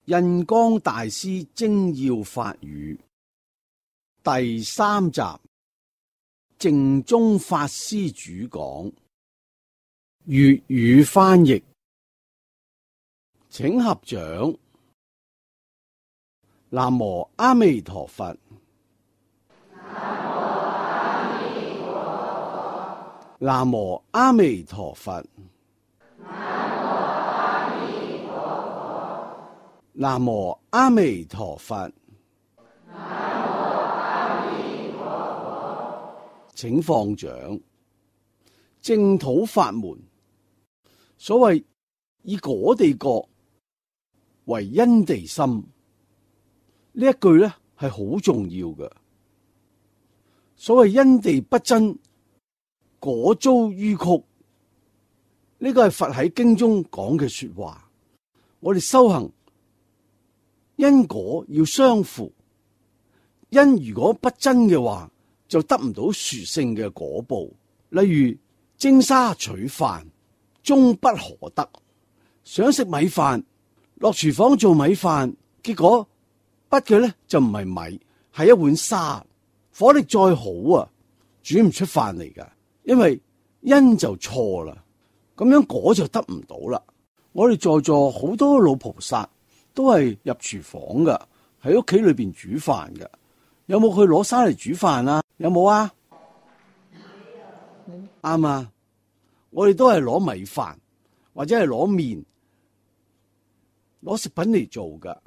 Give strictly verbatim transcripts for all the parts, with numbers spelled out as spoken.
印光大師精要法語第三集，淨宗法師主講，粵語翻譯，請合掌。南無阿彌陀佛。南無阿彌陀佛。南無阿彌陀佛。請放掌。淨土法門，所謂以果地覺為因地心，呢一句咧係好重要嘅。所謂因地不真，果遭紆曲，呢個係佛喺經中講嘅說話。我哋修行因果要相符，因如果不真嘅話，就得唔到殊勝嘅果報。例如蒸沙取飯，終不可得。想食米飯，落廚房做米飯，結果畢嘅咧就唔係米，係一碗沙。火力再好啊，煮唔出飯嚟噶，因為因就錯啦，咁樣果就得唔到啦。我哋在座好多老菩薩都係入廚房噶，喺屋企裏邊煮飯噶。有冇去攞沙嚟煮飯啊？有冇啊？啱啊！我哋都係攞米飯或者係攞麵、攞食品嚟做噶，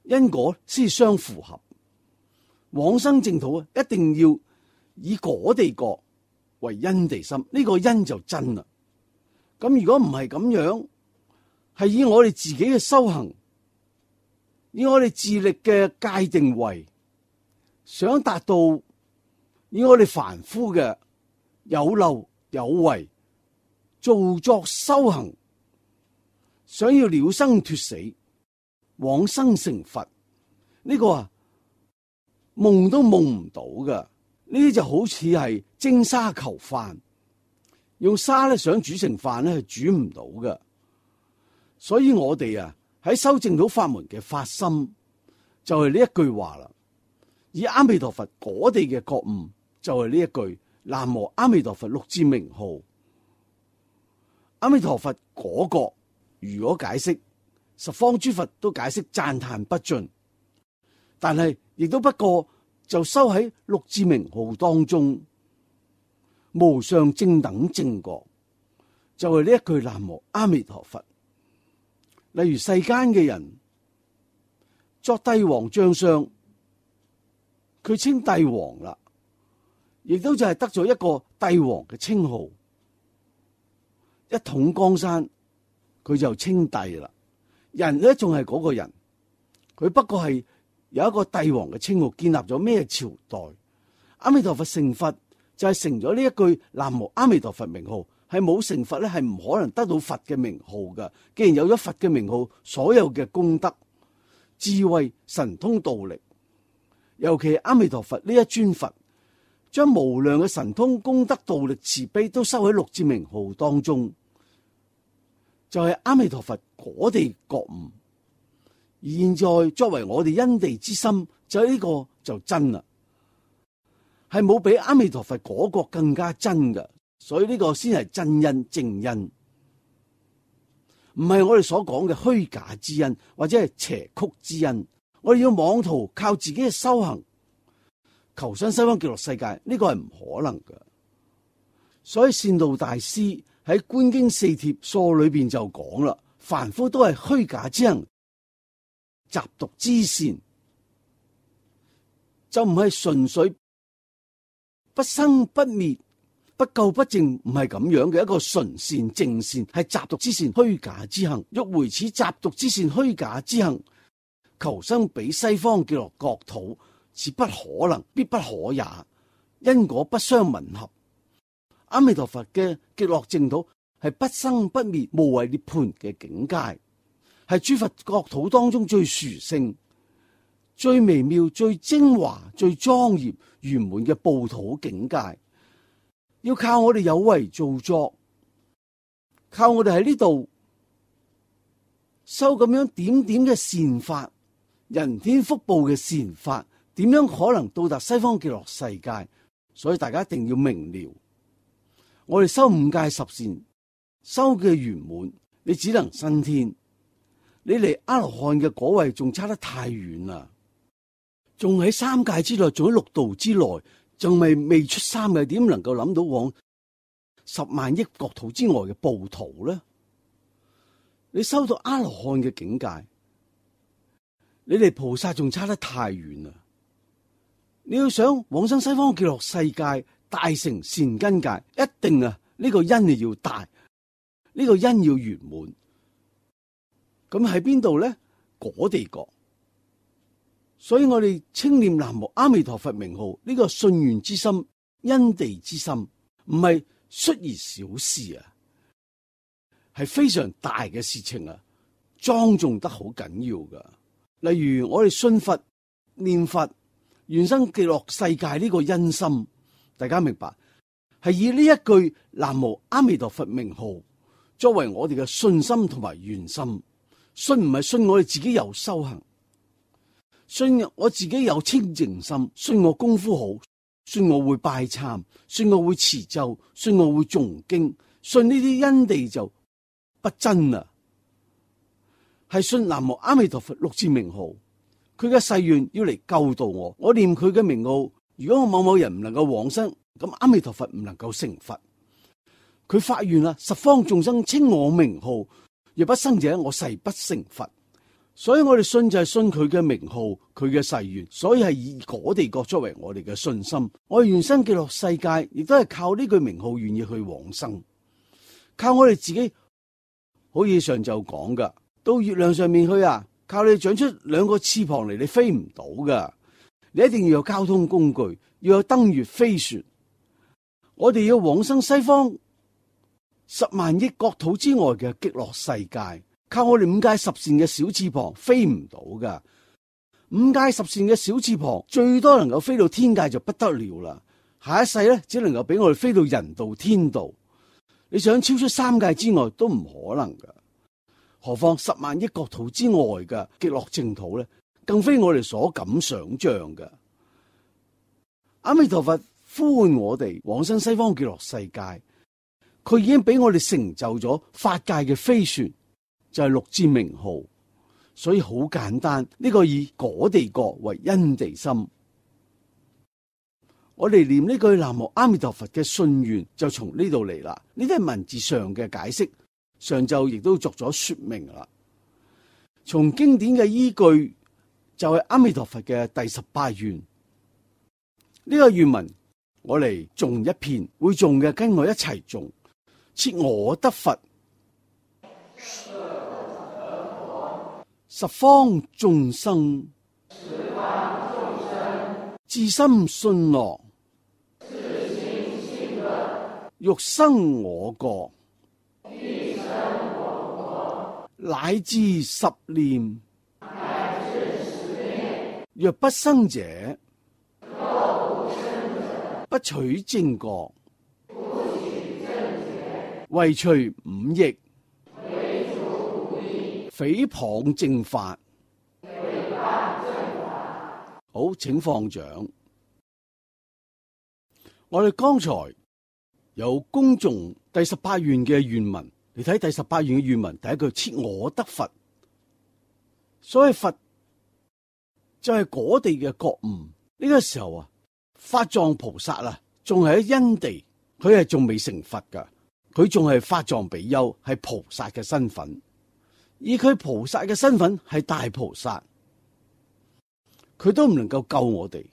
因果先相符合。往生淨土啊，一定要以果地覺為因地心，呢個因就真啦。咁如果唔係咁樣，係以我哋自己嘅修行，以我哋自力嘅界定為想達到，以我哋凡夫嘅有漏有為造作修行，想要了生脫死，往生成佛，呢個啊夢都夢唔到噶。呢啲就好似係蒸沙求飯，用沙咧想煮成飯咧係煮唔到噶。所以我哋啊喺修淨土法門嘅發心就係呢一句話啦。以阿彌陀佛果地嘅覺悟就係呢一句南無阿彌陀佛六字名號。阿彌陀佛果覺如果解釋，十方諸佛都解釋讚嘆不盡，但係亦都不過就收喺六字名號當中，無上正等正覺就係呢一句南無阿彌陀佛。例如世間嘅人作帝王將相，佢稱帝王啦，亦都就係得咗一個帝王嘅稱號。一統江山，佢就稱帝啦。人咧仲係嗰個人，佢不過係有一個帝王嘅稱號，建立咗咩朝代？阿彌陀佛成佛就係成咗呢一句南無阿彌陀佛名號。係冇成佛咧，係唔可能得到佛嘅名號噶。既然有咗佛嘅名號，所有嘅功德、智慧、神通道力，尤其係阿彌陀佛呢一尊佛，將無量嘅神通、功德、道力、慈悲都收喺六字名號當中，就係、是、阿彌陀佛果地覺悟。而現在作為我哋因地之心，就係、是、呢個就真啦，係冇比阿彌陀佛果覺更加真噶。所以呢個先係真因正因，唔係我哋所講嘅虛假之因或者係邪曲之因。我哋要妄圖靠自己嘅修行求生西方極樂世界，呢個係唔可能嘅。所以善導大師喺《觀經四帖疏》裏邊就講啦，凡夫都係虛假之行，雜毒之善，就唔係純粹不生不滅。不垢不淨，唔係咁樣嘅一個純善正善，係雜毒之善虛假之行。欲回此雜毒之善虛假之行，求生彼西方極樂國土，是不可能，必不可也。因果不相吻合。阿彌陀佛嘅極樂淨土係不生不滅、無為涅槃嘅境界，係諸佛國土當中最殊勝、最微妙、最精華、最莊嚴圓滿嘅報土境界。要靠我哋有為造作，靠我哋喺呢度修咁樣點點嘅善法，人天福報嘅善法，點樣可能到達西方極樂世界？所以大家一定要明了，我哋修五戒十善，修嘅圓滿，你只能升天，你離阿羅漢嘅果位仲差得太遠啦，仲喺三界之內，仲喺六道之內，仲未未出三界，點能夠諗到往十萬億國土之外嘅報途呢？你修到阿羅漢嘅境界，你離菩薩仲差得太遠啦。你要想往生西方極樂世界，大成善根界，一定啊呢個因要大，呢個因要圓滿。咁喺邊度咧？果地國。所以我哋稱念南無阿彌陀佛名號，呢個信願之心、因地之心，唔係率而小事啊，係非常大嘅事情啊，莊重得好緊要噶。例如我哋信佛、念佛、願生極樂世界呢個因心，大家明白，係以呢一句南無阿彌陀佛名號作為我哋嘅信心同埋願心。信唔係信我哋自己有修行，信我自己有清淨心，信我功夫好，信我會拜懺，信我會持咒，信我會誦經，信呢啲因地就不真啦。係信南無阿彌陀佛六字名號，佢嘅誓願要嚟救度我，我念佢嘅名號，如果我某某人唔能夠往生，咁阿彌陀佛唔能夠成佛。佢發願啦，十方眾生稱我名號，若不生者，我誓不成佛。所以我哋信就係信佢嘅名號，佢嘅誓願，所以係以果地國作為我哋嘅信心。我哋願生極樂世界，亦都係靠呢句名號願意去往生，靠我哋自己。好似上晝講噶，到月亮上面去啊，靠你長出兩個翅膀嚟，你飛唔到噶。你一定要有交通工具，要有登月飛船。我哋要往生西方十萬億國土之外嘅極樂世界，靠我哋五戒十善嘅小翅膀飛唔到噶。五戒十善嘅小翅膀最多能夠飛到天界就不得了啦。下一世咧，只能夠俾我哋飛到人道天道。你想超出三界之外都唔可能噶，何況十萬億國土之外嘅極樂淨土咧，更非我哋所敢想象嘅。阿彌陀佛呼喚我哋往生西方極樂世界，佢已經俾我哋成就咗法界嘅飛船，就係六字名號。所以好簡單，呢個以果地國為因地心。我哋念呢句南無阿彌陀佛嘅信願就從呢度嚟啦。呢啲係文字上嘅解釋，上晝亦都作咗說明啦。從經典嘅依據就係阿彌陀佛嘅第十八願。呢個願文我嚟誦一遍，會誦嘅跟我一齊誦。設我得佛，十方眾生，至心信樂，欲生我國，乃至十念，若不生者，不取正覺，唯除五逆，誹謗正法。好，請放掌。我哋剛才有恭誦第十八願嘅願文，你睇第十八願嘅願文，第一句設我得佛，所謂佛就係果地嘅覺悟。呢、這個時候啊，法藏菩薩啊，仲係喺因地，佢係仲未成佛噶，佢仲係法藏比丘，係菩薩嘅身份。以佢菩薩嘅身份係大菩薩，佢都唔能夠救我哋，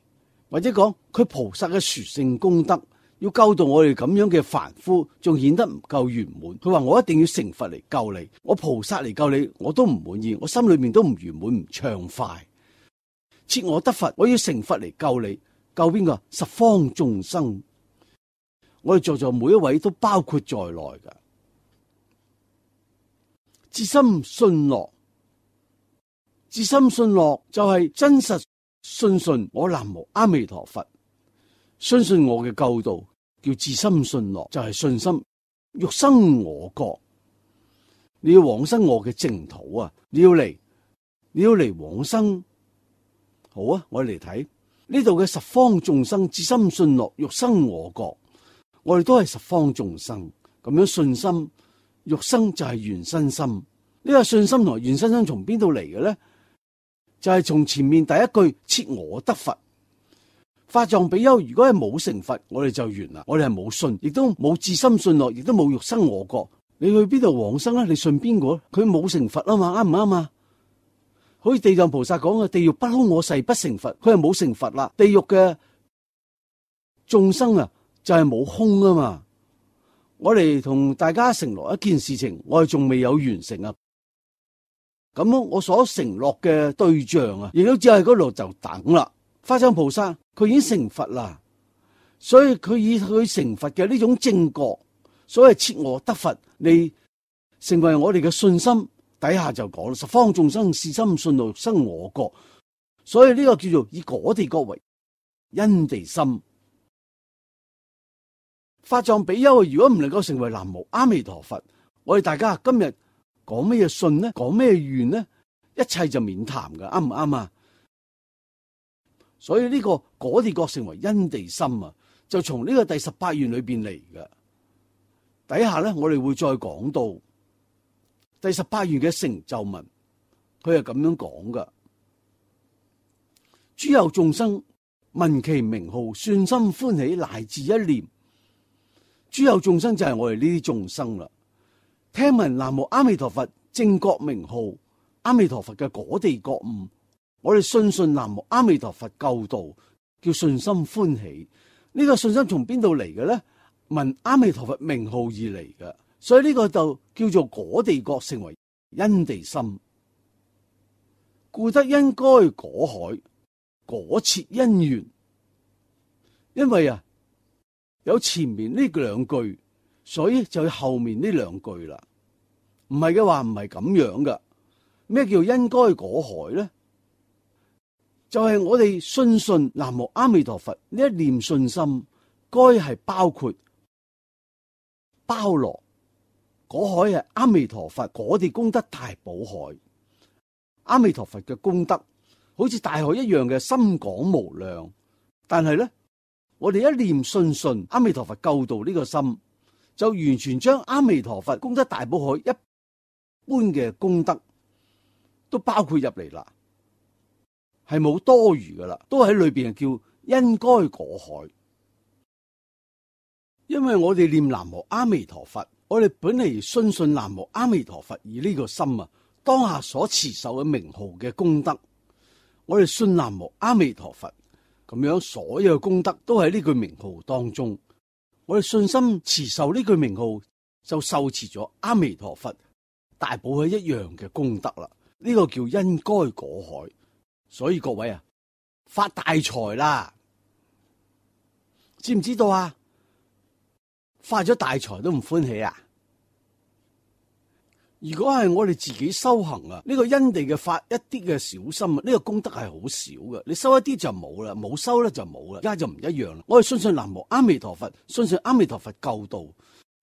或者講佢菩薩嘅殊勝功德要救到我哋咁樣嘅凡夫，仲顯得唔夠圓滿。佢話我一定要成佛嚟救你，我菩薩嚟救你，我都唔滿意，我心裏面都唔圓滿唔暢快。設我得佛，我要成佛嚟救你，救邊個？十方眾生，我哋在座每一位都包括在內噶。至心信樂，至心信樂就係真實信信我南無阿彌陀佛，相信我嘅救度，叫至心信樂，就係信心欲生我國。你要往生我嘅淨土啊！你要嚟，你要嚟往生。好啊，我哋嚟睇呢度嘅十方眾生，至心信樂，欲生我國。我哋都係十方眾生，咁樣信心欲生就係緣生心。呢、這個信心同緣生心從邊度嚟嘅咧？就係、是、從前面第一句設我得佛。法藏比丘如果係冇成佛，我哋就完啦。我哋係冇信，亦都冇至心信樂，亦都冇欲生我國。你去邊度往生咧？你信邊個？佢冇成佛啊嘛，啱唔啱啊？好似地藏菩薩講嘅，地獄不空我誓不成佛，佢係冇成佛啦。地獄嘅眾生啊，就係冇空啊嘛。我哋同大家承諾一件事情，我哋仲未有完成啊。咁我所承諾嘅對象啊，亦都只係嗰度就等啦。法藏菩薩佢已經成佛啦，所以佢以佢成佛嘅呢種正覺，所謂設我得佛，你成為我哋嘅信心。底下就講十方眾生至心信樂，欲生我國，所以呢個叫做以果地國為因地心。法藏比丘如果唔能夠成為南無阿彌陀佛，我哋大家今日講咩嘢信呢？講咩願呢？一切就免談噶，啱唔啱啊？所以呢個果地國成為因地心啊，就從呢個第十八願裏邊嚟嘅。底下咧，我哋會再講到第十八願嘅成就文，佢係咁樣講噶：諸有眾生聞其名號，信心歡喜，乃至一念。諸有眾生就係我哋呢啲眾生啦。聽聞南無阿彌陀佛正覺名號，阿彌陀佛嘅果地覺悟，我哋信信南無阿彌陀佛救度，叫信心歡喜。呢、這個信心從邊度嚟嘅咧？聞阿彌陀佛名號而嚟嘅。所以呢個就叫做果地覺成為因地心，故得因該果海，果設因緣。因為啊有前面呢兩句，所以就有後面呢兩句啦。唔係嘅話唔係咁樣噶。咩叫因該果海咧？就係、是、我哋信信南無阿彌陀佛呢一念信心，該係包括包羅。果海係阿彌陀佛果地功德大寶海，阿彌陀佛嘅功德好似大海一樣嘅深廣無量。但係咧，我哋一念信信阿彌陀佛救度呢個心，就完全將阿彌陀佛功德大寶海一般嘅功德都包括入嚟啦，係冇多餘噶啦，都喺裏邊叫因該果海。因為我哋念南無阿彌陀佛，我哋本嚟信信南無阿彌陀佛，而呢個心啊，當下所持受嘅名號嘅功德，我哋信南無阿彌陀佛，咁樣所有嘅功德都喺呢句名號當中。我哋信心持受呢句名號，就受持咗阿彌陀佛大寶海一樣嘅功德啦。呢、這個叫因該果海。所以各位啊，發大財啦，知唔知道啊？發咗大財都唔歡喜啊！如果係我哋自己修行啊，呢個因地嘅發一啲嘅小心啊，呢個功德係好少嘅。你收一啲就冇啦，冇收咧就冇啦，而家就唔一樣啦。我哋信信南無阿彌陀佛，信信阿彌陀佛救度，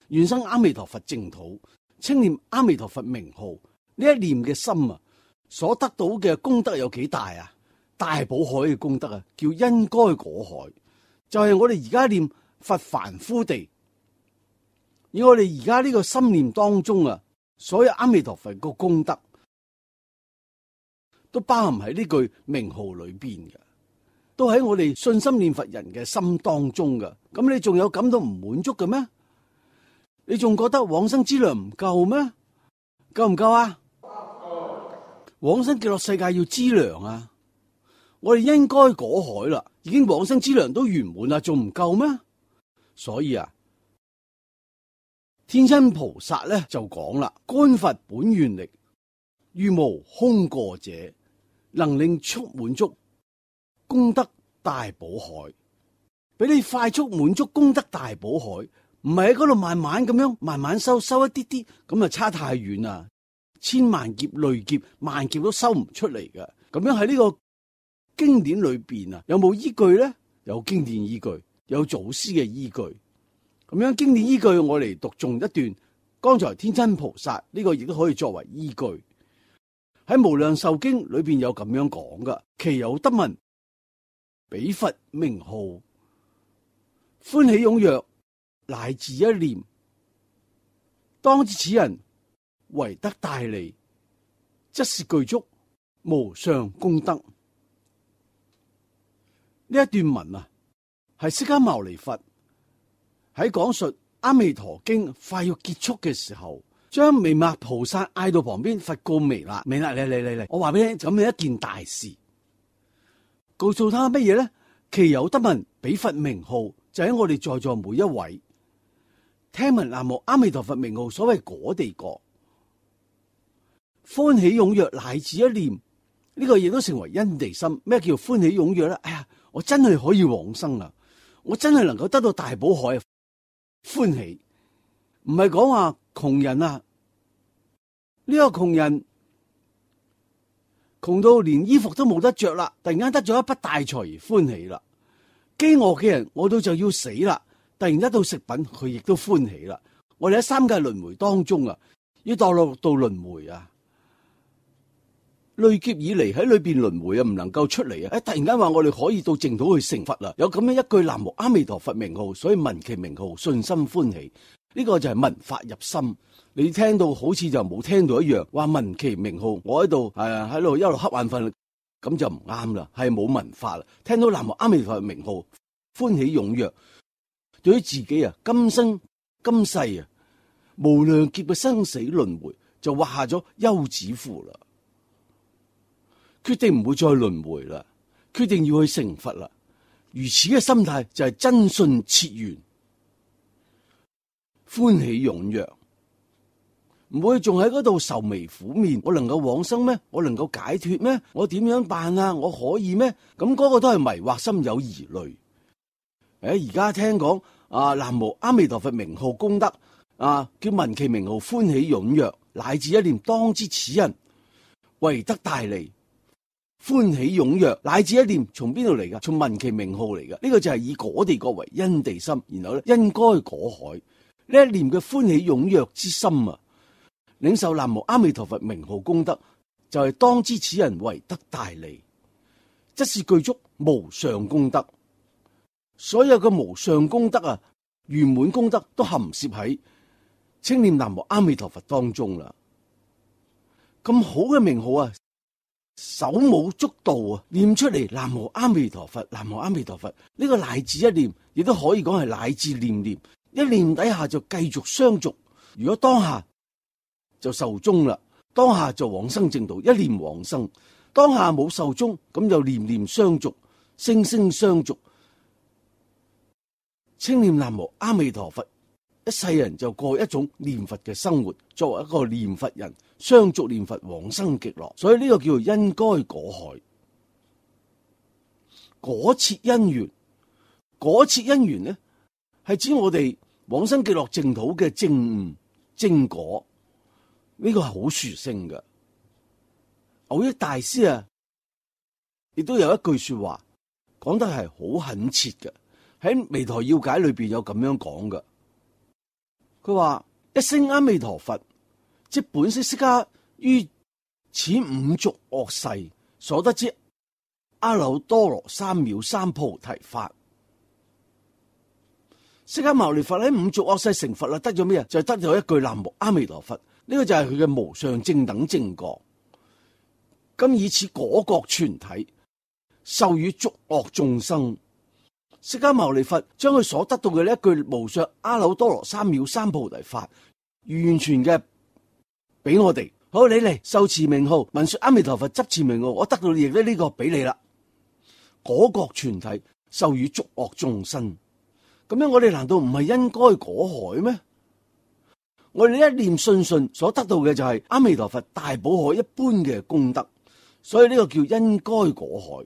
願生阿彌陀佛淨土，稱念阿彌陀佛名號，呢一念嘅心啊，所得到嘅功德有幾大啊？大寶海嘅功德啊，叫因該果海，就係、是、我哋而家念佛凡夫地。而我哋而家呢個心念當中啊，所有阿彌陀佛個功德都包含喺呢句名號裏邊嘅，都喺我哋信心念佛人嘅心當中嘅。咁你仲有感到唔滿足嘅咩？你仲覺得往生之糧唔夠咩？夠唔夠啊？往生極樂世界要資糧啊！我哋因該果海啦，已經往生之糧都圓滿啦，仲唔夠咩？所以啊，天親菩薩咧就講啦：觀佛本願力，如無空過者，能令速滿足功德大寶海。俾你快速滿足功德大寶海，唔係喺嗰度慢慢咁樣慢慢收，收一啲啲，咁啊差太遠啦！千萬劫累劫萬劫都收唔出嚟嘅。咁樣喺呢個經典裏邊啊，有冇依據咧？有經典依據，有祖師嘅依據。咁樣經典依據，我嚟讀誦一段剛才天真菩薩呢個亦都可以作為依據。喺無量壽經裏邊有咁樣講噶，其有得聞彼佛名號，歡喜踴躍，乃至一念，當知此人為得大利，則是具足無上功德。呢一段文啊，係釋迦牟尼佛喺講述阿彌陀經快要結束嘅時候，將彌勒菩薩嗌到旁邊，佛告彌勒：彌勒，嚟嚟嚟嚟，我話俾你咁樣一件大事，告訴他乜嘢咧？其有得聞彼佛名號，就喺我哋在座每一位聽聞南無阿彌陀佛名號，所謂果地國，歡喜踴躍，乃至一念，呢、這個亦都成為因地心。咩叫歡喜踴躍咧？哎呀，我真係可以往生啊！我真係能夠得到大寶海，歡喜。唔係講話窮人啊，呢、這個窮人窮到連衣服都冇得着啦，突然間得咗一筆大財而歡喜啦。飢餓嘅人餓到就要死啦，突然間到食品佢亦都歡喜啦。我哋喺三界輪迴當中啊，要墮落到輪迴啊，累劫以嚟喺裏邊輪迴啊，唔能夠出嚟啊！誒，突然間話我哋可以到淨土去成佛啦，有咁樣一句南無阿彌陀佛名號，所以聞其名號，信心歡喜。呢、這個就係聞法入心。你聽到好似就冇聽到一樣，話聞其名號，我喺度誒喺度一路瞌眼瞓，咁就唔啱啦，係冇聞法啦。聽到南無阿彌陀佛名號，歡喜踴躍，對於自己啊今生今世啊無量劫嘅生死輪迴就畫下咗休止符啦，決定唔會再輪迴啦，決定要去成佛啦。如此嘅心態就係真信切願，歡喜踴躍，唔會仲喺嗰度愁眉苦面。我能夠往生咩？我能夠解脫咩？我點樣辦啊？我可以咩？咁嗰個都係迷惑心，有疑慮。誒，而家聽講啊，南無阿彌陀佛名號功德啊，叫聞其名號，歡喜踴躍，乃至一念，當知此人為得大利。歡喜踴躍，乃至一念，從邊度嚟噶？從聞其名號嚟噶。呢、這個就係以果地國為因地心，然後咧因該果海。呢一念嘅歡喜踴躍之心啊，領受南無阿彌陀佛名號功德，就係、是、當知此人為得大利，則是具足無上功德。所有嘅無上功德啊，圓滿功德都含攝喺稱念南無阿彌陀佛當中啦。咁好嘅名號啊，手舞足蹈啊，念出嚟南無阿彌陀佛，南無阿彌陀佛。呢、這個乃至一念，亦都可以講係乃至念念。一念底下就繼續相續，如果當下就壽終啦，當下就往生淨土，一念往生；當下冇壽終，咁就念念相續，聲聲相續，稱念南無阿彌陀佛，一世人就過一種念佛嘅生活，作為一個念佛人，相續念佛往生極樂。所以呢個叫做因該果海，果切因緣，果切因緣呢，係指我哋往生極樂淨土嘅正悟正果，呢、這個係好殊勝嘅。蕅益大師啊，亦都有一句說話講得係好懇切嘅，喺彌陀要解裏邊有咁樣講嘅。佢話一聲阿彌陀佛，即本悉釋迦於此五濁惡世所得之阿耨多羅三藐三菩提法。釋迦牟尼佛喺五濁惡世成佛啦，得咗咩啊？就係、是、得咗一句南無阿彌陀佛，呢、這個就係佢嘅無上正等正覺。今以此果覺全體授予濁惡眾生。釋迦牟尼佛將佢所得到嘅呢一句無上阿耨多羅三藐三菩提法，完全嘅俾我哋。好，你嚟受持名號，聞說阿彌陀佛，執持名號，我得到亦都呢個俾你啦。果覺全體授予濁惡眾生。咁樣我哋難道唔係因該果海咩？我哋一念信信所得到嘅就係阿彌陀佛大寶海一般嘅功德，所以呢個叫因該果海。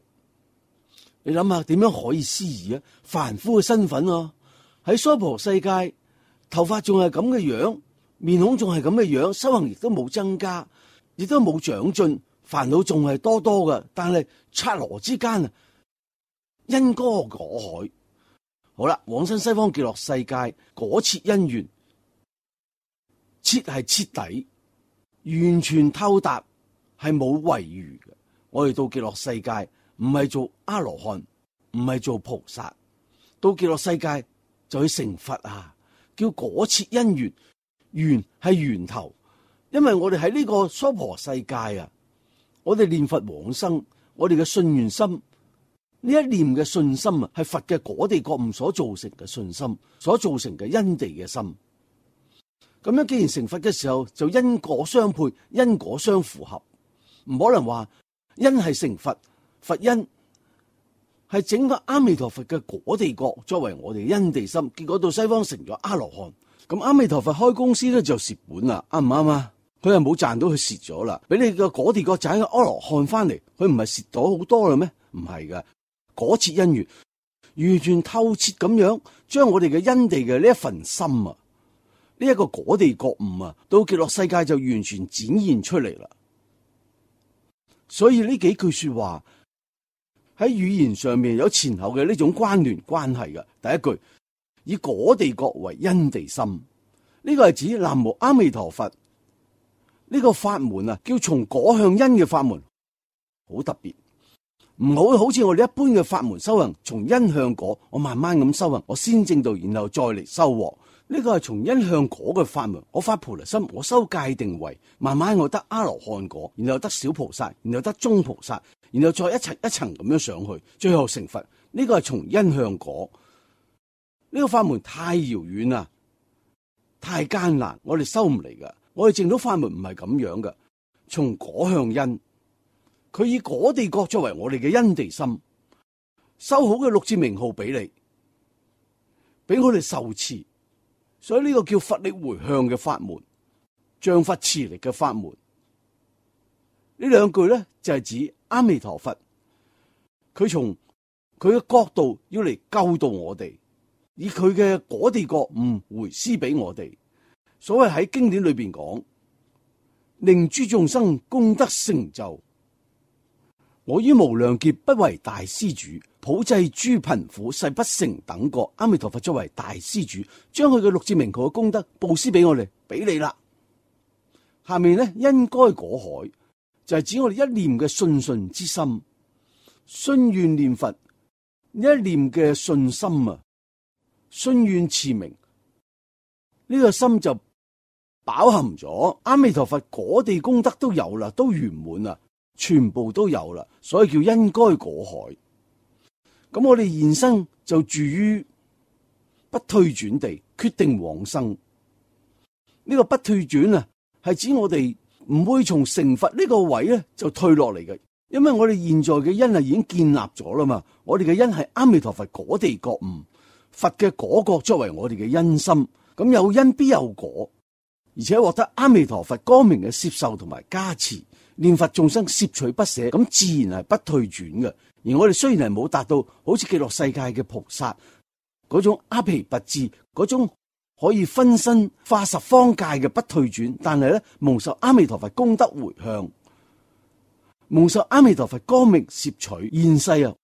你諗下點樣可以思議啊？凡夫嘅身份啊，喺娑婆世界，頭髮仲係咁嘅樣，面孔仲係咁嘅樣，修行亦都冇增加，亦都冇長進，煩惱仲係多多嘅。但係剎那之間啊，因該果海。好啦，往生西方極樂世界果切因緣，徹係徹底，完全透達，係冇遺餘嘅。我哋到極樂世界唔係做阿羅漢，唔係做菩薩，到極樂世界就去成佛啊！叫果切因緣，緣係源頭，因為我哋喺呢個娑婆世界啊，我哋念佛往生，我哋嘅信願心，呢一念嘅信心啊，係佛嘅果地覺悟所造成嘅信心，所造成嘅因地嘅心。咁樣既然成佛嘅時候，就因果相配，因果相符合，唔可能話因係成佛，佛因係整個阿彌陀佛嘅果地覺作為我哋因地心，結果到西方成咗阿羅漢。咁阿彌陀佛開公司咧就蝕本啦，啱唔啱啊？佢係冇賺到，佢蝕咗啦。俾你個果地覺賺個阿羅漢翻嚟，佢唔係蝕到好多啦咩？唔係噶，果切因緣，完全透徹咁樣將我哋嘅因地嘅呢一份心啊，呢一個果地覺悟啊，到極樂世界就完全展現出嚟啦。所以呢幾句說話喺語言上面有前後嘅呢種關聯關係嘅。第一句以果地覺為因地心，呢個係指南無阿彌陀佛呢個法門啊，叫從果向因嘅法門，好特別。唔好好似我哋一般嘅法門修行，從因向果，我慢慢咁修行，我先證道，然後再嚟收穫。呢個係從因向果嘅法門，我發菩提心，我修戒定慧，慢慢我得阿羅漢果，然後得小菩薩，然後得中菩薩，然後再一層一層咁樣上去，最後成佛。呢個係從因向果。呢個法門太遙遠啦，太艱難，我哋修唔嚟噶。我哋證到法門唔係咁樣噶，從果向因，佢以果地覺作為我哋嘅因地心，修好嘅六字名號俾你，俾我哋受持。所以呢個叫佛力回向嘅法門，像佛持力嘅法門。呢兩句咧就係指阿彌陀佛，佢從佢嘅角度要嚟救度我哋，以佢嘅果地覺悟回施俾我哋。所謂喺經典裏邊講，令諸眾生功德成就。我於無量劫不為大施主，普濟諸貧苦，誓不成等覺。阿彌陀佛作為大施主，將佢嘅六字名號嘅功德布施俾我哋，俾你啦。下面咧因該果海，就係指我哋一念嘅信信之心，信願念佛，一念嘅信心啊，信願持名，呢、這個心就飽含咗阿彌陀佛果地功德都有啦，都圓滿啦，全部都有啦，所以叫因該果海。咁我哋現生就住於不退轉地，決定往生。呢、這個不退轉啊，係指我哋唔會從成佛呢個位咧就退落嚟嘅，因為我哋現在嘅因係已經建立咗啦嘛。我哋嘅因係阿彌陀佛果地覺悟，佛嘅果覺作為我哋嘅因心，咁有因必有果，而且獲得阿彌陀佛光明嘅攝受同埋加持，念佛眾生攝取不捨，咁自然係不退轉嘅。而我哋雖然係冇達到好似極樂世界嘅菩薩嗰種阿毗跋致，嗰種可以分身化十方界嘅不退轉，但係咧蒙受阿彌陀佛功德回向，蒙受阿彌陀佛光明攝取，現世啊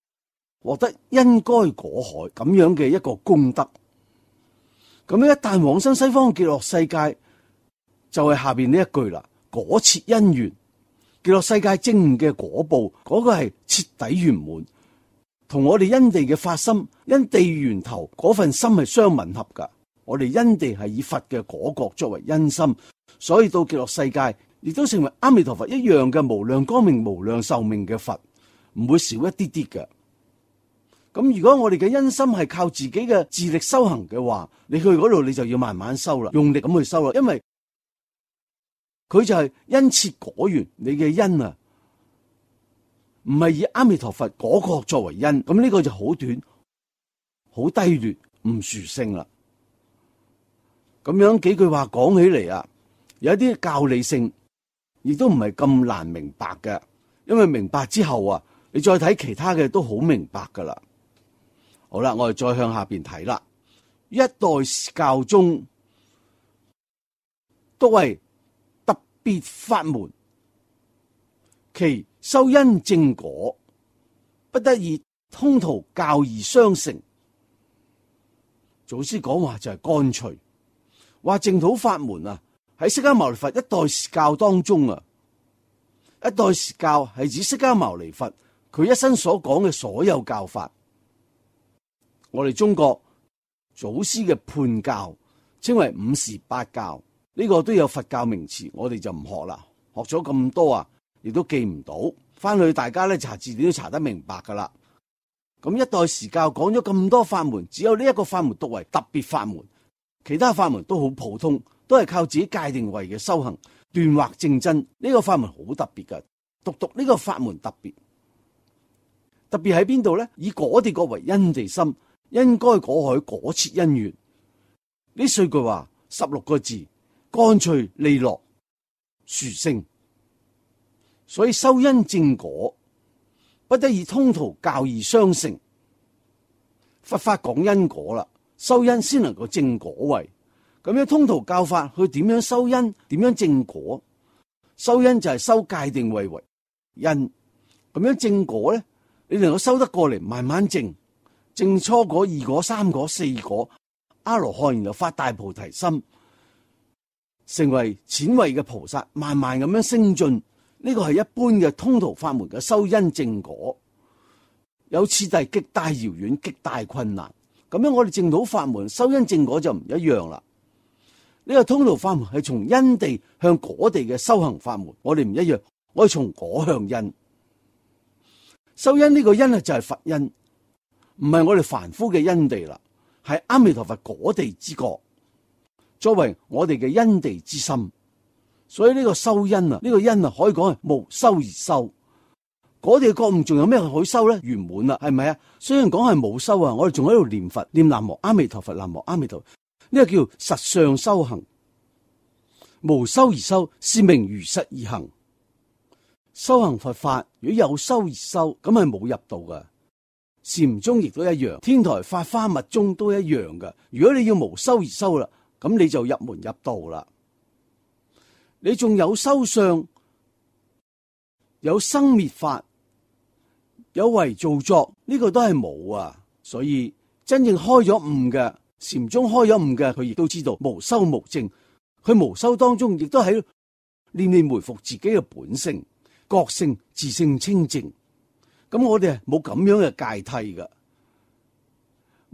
獲得因該果海咁樣嘅一個功德。咁樣一旦往生西方極樂世界，就係下邊呢一句啦：果切因緣。極樂世界正悟嘅果報，嗰、那個係徹底圓滿，同我哋因地嘅發心、因地源頭嗰份心係相吻合噶。我哋因地係以佛嘅果覺作為因心，所以到極樂世界亦都成為阿彌陀佛一樣嘅無量光明、無量壽命嘅佛，唔會少一啲啲嘅。咁如果我哋嘅因心係靠自己嘅自力修行嘅話，你去嗰度你就要慢慢修啦，用力咁去修啦，因為佢就係因切果緣，你嘅因啊，唔係以阿彌陀佛果覺作為因，咁呢個就好短、好低劣、唔殊勝啦。咁樣幾句話講起嚟啊，有一啲教理性，亦都唔係咁難明白嘅，因為明白之後啊，你再睇其他嘅都好明白噶啦。好啦，我哋再向下邊睇啦，一代教中都係別法門，其修因正果，不得以通途教義相成。祖師講話就係乾脆，話淨土法門啊，喺釋迦牟尼佛一代時教當中啊，一代時教係指釋迦牟尼佛佢一生所講嘅所有教法。我哋中國祖師嘅判教稱為五時八教，呢個都有佛教名詞，我哋就唔學啦。學咗咁多啊，亦都記唔到，翻去大家咧查字典都查得明白噶啦。咁一代時教講咗咁多法門，只有呢一個法門獨為特別法門，其他法門都好普通，都係靠自己界定位嘅修行斷惑正真。呢個法門好特別噶，獨獨呢個法門特別，特別喺邊度咧？以果地國為因地心，因該果海果切因緣。呢四句話十六個字，乾脆利落殊勝。所以修因正果，不得以通途教義相成。佛法講因果啦，修因先能夠正果位。咁樣通途教法，佢點樣修因？點樣正果？修因就係修界定位為因。咁樣正果咧，你能夠修得過嚟，慢慢正。正初果、二果、三果、四果，阿羅漢然後發大菩提心，成為淺位嘅菩薩，慢慢咁樣升進。呢個係一般嘅通途法門嘅修因正果，有次第極大遙遠、極大困難。咁樣我哋淨土法門修因正果就唔一樣啦。呢個通途法門係從因地向果地嘅修行法門，我哋唔一樣，我哋從果向因。修因呢個因啊就係佛因，唔係我哋凡夫嘅因地啦，係阿彌陀佛果地之國，作為我哋嘅因地之心。所以呢個修因啊，呢個因啊，可以講係無修而修。果地嘅覺悟仲有咩可以修咧？圓滿啦，係咪啊？雖然講係冇修啊，我哋仲喺度念佛，念南無阿彌陀佛，南無阿彌陀佛，呢個叫實相修行。無修而修，是名如實而行。修行佛法，如果有修而修，咁係冇入道噶。禪宗亦都一樣，天台法華密宗都一樣噶。如果你要無修而修啦，咁你就入門入道啦。你仲有修相，有生滅法，有為造作，呢、這個都係冇啊。所以真正開咗悟嘅禪宗開咗悟嘅，佢亦都知道無修無證。佢無修當中，亦都喺念念回復自己嘅本性、覺性、自性清淨。咁我哋冇咁樣嘅界替噶，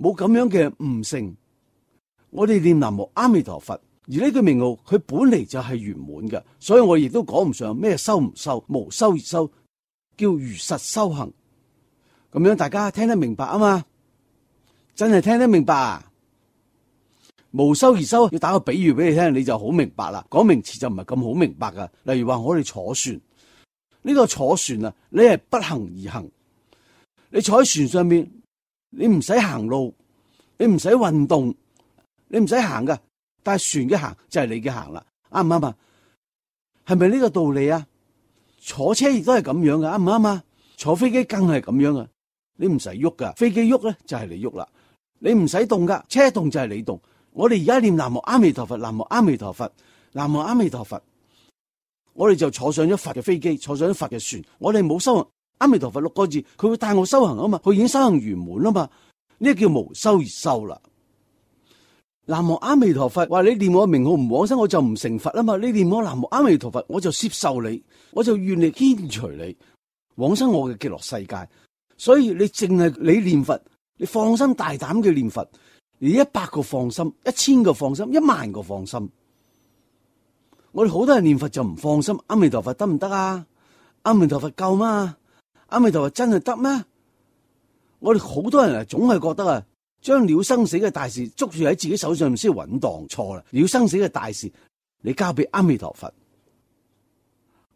冇咁樣嘅悟性。我哋念南無阿彌陀佛。而呢句名號，佢本嚟就係圓滿嘅，所以我亦都講唔上咩修唔修，無修而修，叫如實修行。咁樣大家聽得明白啊嘛？真係聽得明白啊！無修而修，要打個比喻俾你聽，你就好明白啦。講名詞就唔係咁好明白噶。例如話我哋坐船，呢個坐船啊，你係不行而行，你坐喺船上面，你唔使行路，你唔使運動，你唔使行噶。但係船嘅行就係你嘅行啦，啱唔啱啊？係咪呢個道理啊？坐車亦都係咁樣嘅，啱唔啱啊？坐飛機更係咁樣啊！你唔使喐噶，飛機喐咧就係你喐啦。你唔使動噶，車動就係你動。我哋而家念南無阿彌陀佛，南無阿彌陀佛，南無阿彌陀佛，我哋就坐上咗佛嘅飛機，坐上咗佛嘅船。我哋冇修行阿彌陀佛六個字，佢會帶我修行啊嘛，佢已經修行圓滿啦嘛，呢個叫無修而修啦。南無阿彌陀佛，話你念我名號唔往生，我就唔成佛啊嘛。你念我南無阿彌陀佛，我就接受你，我就願力牽隨你往生我嘅極樂世界。所以你淨係你念佛，你放心大膽嘅念佛，你一百個放心，一千個放心，一萬個放心。我哋好多人念佛就唔放心，阿彌陀佛得唔得啊？阿彌陀佛夠嗎？阿彌陀佛真係得咩？我哋好多人啊，總係覺得啊，將了生死嘅大事捉住喺自己手上先穩當，錯啦！了生死嘅大事，你交俾阿彌陀佛。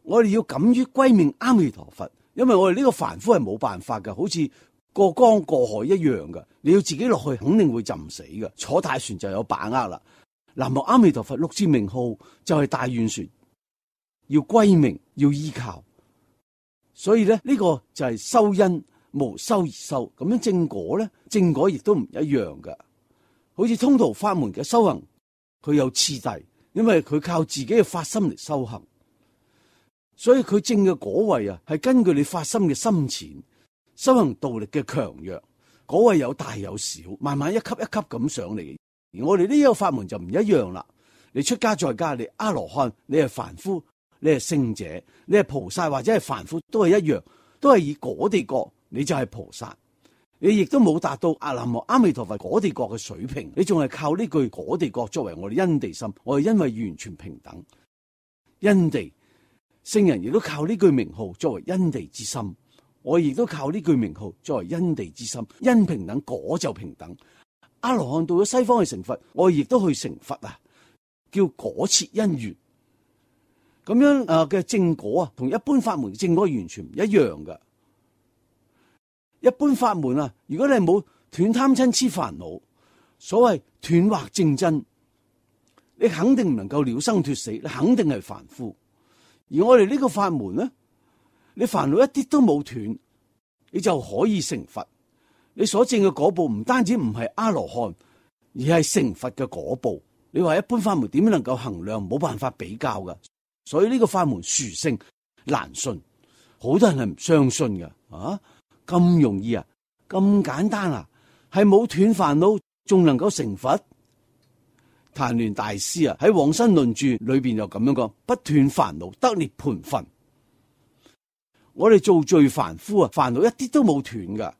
我哋要敢於歸命阿彌陀佛，因為我哋呢個凡夫係冇辦法噶，好似過江過海一樣噶。你要自己落去，肯定會浸死噶。坐大船就有把握啦。南無阿彌陀佛六字名號就係大願船，要歸命，要依靠。所以咧，呢個就係修因。無修而修，咁樣正果咧，正果亦都唔一樣噶。好似通途法門嘅修行，佢有次第，因為佢靠自己嘅發心嚟修行，所以佢正嘅果位啊，係根據你發心嘅深淺、修行道力嘅強弱，果位有大有小，慢慢一級一級咁上嚟。而我哋呢個法門就唔一樣啦。你出家在家，你阿羅漢，你係凡夫，你係聖者，你係菩薩或者係凡夫都係一樣，都係以果地國，你就係菩薩。你亦都冇達到阿南無阿彌陀佛果地國嘅水平，你仲係靠呢句果地國作為我哋因地心，我哋因為完全平等，因地聖人亦都靠呢句名號作為因地之心，我亦都靠呢句名號作為因地之心，因平等果就平等。阿羅漢到咗西方去成佛，我亦都去成佛啊，叫果切因緣。咁樣誒嘅正果啊，同一般法門嘅正果完全唔一樣噶。一般法門啊，如果你係冇斷貪嗔癡煩惱，所謂斷惑正真，你肯定唔能夠了生脫死，你肯定係凡夫。而我哋呢個法門咧，你煩惱一啲都冇斷，你就可以成佛。你所證嘅果報唔單止唔係阿羅漢，而係成佛嘅果報。你話一般法門點樣能夠衡量？冇辦法比較噶。所以呢個法門殊勝難信，好多人係唔相信嘅。啊，咁容易啊，咁簡單啊，係冇斷煩惱，仲能夠成佛？曇鸞大師啊喺《往生論注》裏邊就咁樣講：不斷煩惱得涅槃分。我哋做罪凡夫啊，煩惱一啲都冇斷噶。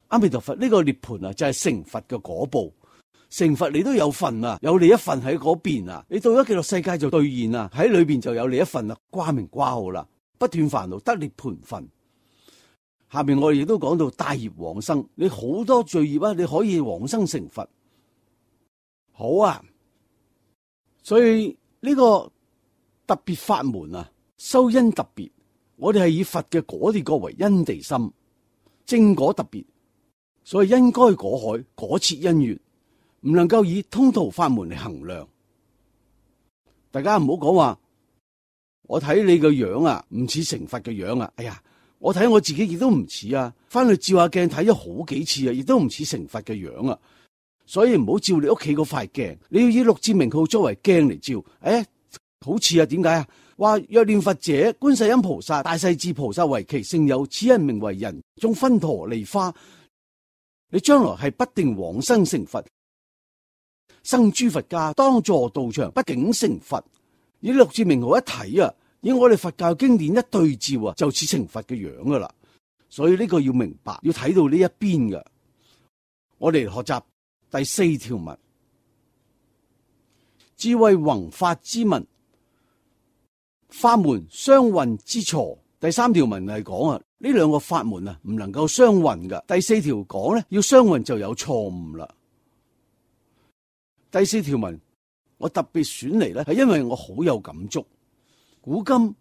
阿彌陀佛呢個涅槃啊，就係成佛嘅果報。成佛你都有份啊，有你一份喺嗰邊啊，你到咗極樂世界就兌現啊，喺裏邊就有你一份啦，掛名掛號啦，不斷煩惱得涅槃分。下邊我哋亦都講到帶業往生，你好多罪業啊，你可以往生成佛。好啊，所以呢個特別法門啊，修因特別，我哋係以佛嘅果地國為因地心，正果特別，所以因該果海，果切因緣。唔能夠以通途法門嚟衡量，大家唔好講話，我睇你個樣啊，唔似成佛嘅樣啊！哎呀，我睇我自己亦都唔似啊，翻去照下鏡睇咗好幾次啊，亦都唔似成佛嘅樣啊！所以唔好照你屋企嗰塊鏡，你要以六字名號作為鏡嚟照，誒、哎，好似啊？點解啊？話若念佛者，觀世音菩薩、大勢至菩薩為其聖友，此人名為人中分陀利花。你將來係不定往生成佛。生諸佛家當坐道場，不竟成佛。以六字名號一睇啊，以我哋佛教經典一對照啊，就似成佛嘅樣噶啦。所以呢個要明白，要睇到呢一邊嘅。我哋學習第四條文，智慧宏法之文，法門相混之錯。第三條文係講啊，呢兩個法門啊唔能夠相混噶。第四條講咧，要相混就有錯誤啦。第四條文我特別選嚟咧，係因為我好有感觸。古今